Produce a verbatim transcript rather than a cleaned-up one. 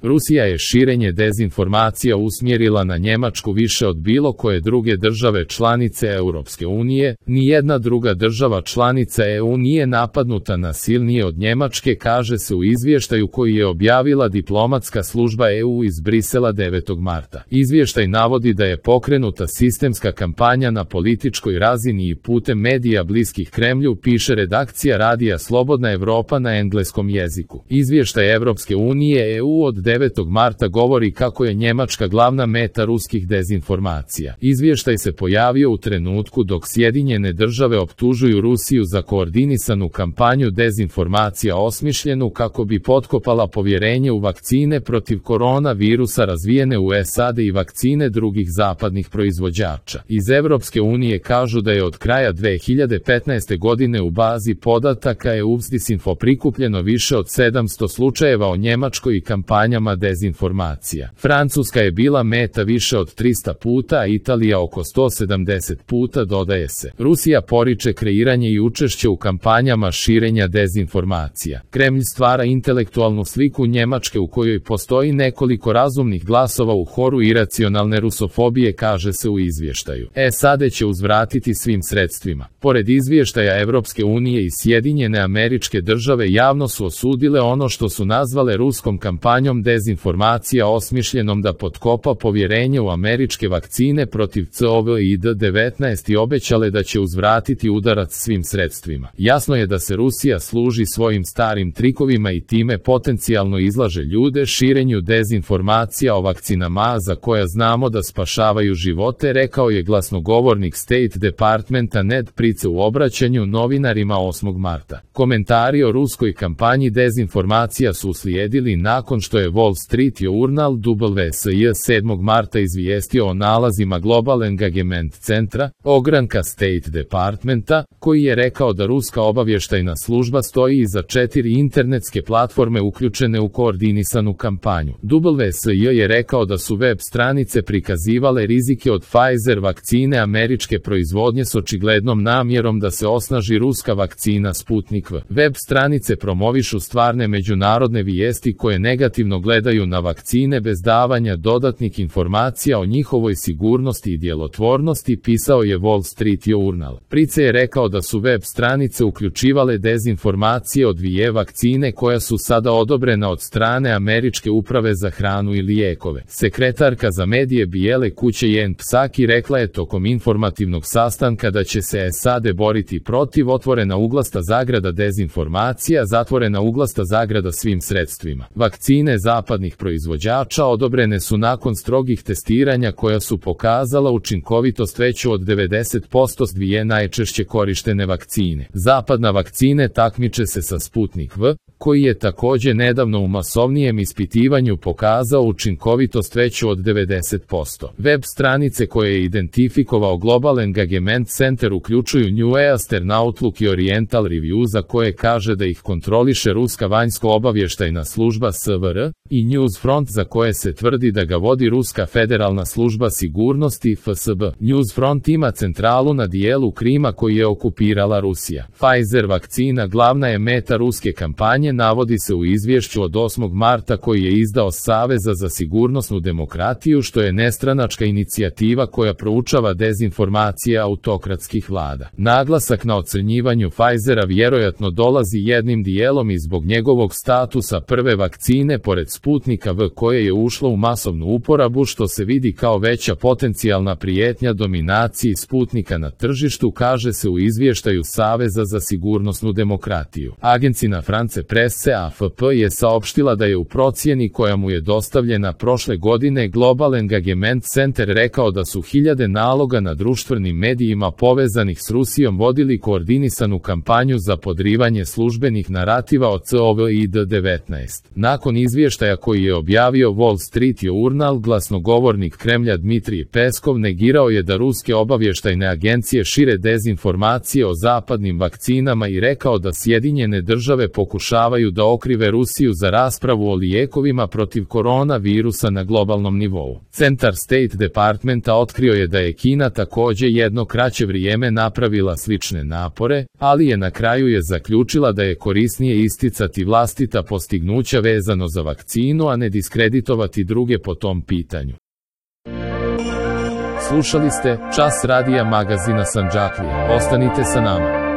Rusija je širenje dezinformacija usmjerila na Njemačku više od bilo koje druge države članice Europske unije. Nijedna druga država članica E U nije napadnuta nasilnije od Njemačke, kaže se u izvještaju koji je objavila diplomatska služba E U iz Brisela devetog marta. Izvještaj navodi da je pokrenuta sistemska kampanja na političkoj razini i putem medija bliskih Kremlju, piše redakcija radija Slobodna Evropa na engleskom jeziku. Izvještaj Evropske unije E U od devetog marta govori kako je Njemačka glavna meta ruskih dezinformacija. Izvještaj se pojavio u trenutku dok Sjedinjene države optužuju Rusiju za koordinisanu kampanju dezinformacija osmišljenu kako bi potkopala povjerenje u vakcine protiv koronavirusa razvijene u S A D i vakcine drugih zapadnih proizvođača. Iz Evropske unije kažu da je od kraja dve hiljade petnaeste godine u bazi podataka E U Disinfo prikupljeno više od sedamsto slučajeva o Njemačkoj i kampanjama dezinformacija. Francuska je bila meta više od trista puta, a Italija oko sto sedamdeset puta, dodaje se. Rusija poriče kreiranje i učešće u kampanjama širenja dezinformacija. Kremlj stvara intelektualnu sliku Njemačke u kojoj postoji nekoliko razumnih glasova u horu iracionalne rusofobije, kaže se u izvještaju. S A D će uzvratiti svim sredstvima. Pored izvještaja Evropske unije i Sjedinjene Američke Države javno su osudile ono što su nazvale ruskom kampanjom dezinformacija osmišljenom da potkopa povjerenje u američke vakcine protiv COVID devetnaest i obećale da će uzvratiti udarac svim sredstvima. Jasno je da se Rusija služi svojim starim trikovima i time potencijalno izlaže ljude širenju dezinformacija o vakcinama za koja znamo da spašavaju živote, rekao je glasnogovornik State Departmenta Ned Price u obraćanju novinarima osmog marta. Komentari o ruskoj kampanji dezinformacija su uslijedili nakon što je Wall Street Journal W S J sedmog marta izvijestio o nalazima Global Engagement centra, ogranka State Departmenta, koji je rekao da ruska obavještajna služba stoji iza četiri internetske platforme uključene u koordinisanu kampanju. W S J je rekao da su web stranice prikazivale rizike od Pfizer vakcine američke proizvodnje s očiglednom namjerom da se osnaži ruska vakcina Sputnik V. Web stranice promovišu stvarne međunarodne vijesti koje negativno gledaju na vakcine bez davanja dodatnih informacija o njihovoj sigurnosti i djelotvornosti, pisao je Wall Street Journal. Price je rekao da su web stranice uključivale dezinformacije o dvije vakcine koja su sada odobrena od strane Američke uprave za hranu i lijekove. Sekretarka za medije Bijele kuće Jen Psaki rekla je tokom informativnog sastanka da će se S A D boriti protiv otvorena uglasta zagrada dezinformacija, zatvorena uglasta zagrada svim sredstvima. Vakcine zapadnih proizvođača odobrene su nakon strogih testiranja koja su pokazala učinkovitost veću od devedeset posto s dvije najčešće korištene vakcine. Zapadna vakcine takmiče se sa Sputnik V, koji je također nedavno u masovnijem ispitivanju pokazao učinkovitost veću od devedeset posto. Web stranice koje je identifikovao Global Engagement Center uključuju New Eastern Outlook i Oriental Review, za koje kaže da ih kontroliše ruska vanjsko-obavještajna služba S V R, i Newsfront, za koje se tvrdi da ga vodi ruska federalna služba sigurnosti F S B. Newsfront ima centralu na dijelu Krima koji je okupirala Rusija. Pfizer vakcina glavna je meta ruske kampanje, navodi se u izvješću od osmog marta koji je izdao Saveza za sigurnosnu demokratiju, što je nestranačka inicijativa koja proučava dezinformacije autokratskih vlada. Naglasak na ocrnjivanju Pfizera vjerojatno dolazi jednim dijelom i zbog njegovog statusa prve vakcine pored Sputnika V koje je ušlo u masovnu uporabu, što se vidi kao veća potencijalna prijetnja dominaciji Sputnika na tržištu, kaže se u izvještaju Saveza za sigurnosnu demokratiju. Agencina France Presse A F P je saopštila da je u procjeni koja mu je dostavljena prošle godine Global Engagement Center rekao da su hiljade naloga na društvenim medijima povezanih s Rusijom vodili koordinisanu kampanju za podrivanje službenih narativa o COVID devetnaest. Nakon izvještaja koji je objavio Wall Street Journal, glasnogovornik Kremlja Dmitrij Peskov negirao je da ruske obavještajne agencije šire dezinformacije o zapadnim vakcinama i rekao da Sjedinjene države pokušavaju da okrive Rusiju za raspravu o lijekovima protiv koronavirusa na globalnom nivou. Centar State Departmenta otkrio je da je Kina također jedno kraće vrijeme napravila slične napore, ali je na kraju je zaključila da je korisnije isticati vlastita postignuća vezano za vakcine istinu, a ne diskreditovati druge po tom pitanju. Slušali ste Čas radija magazina Sandžaklija. Ostanite sa nama.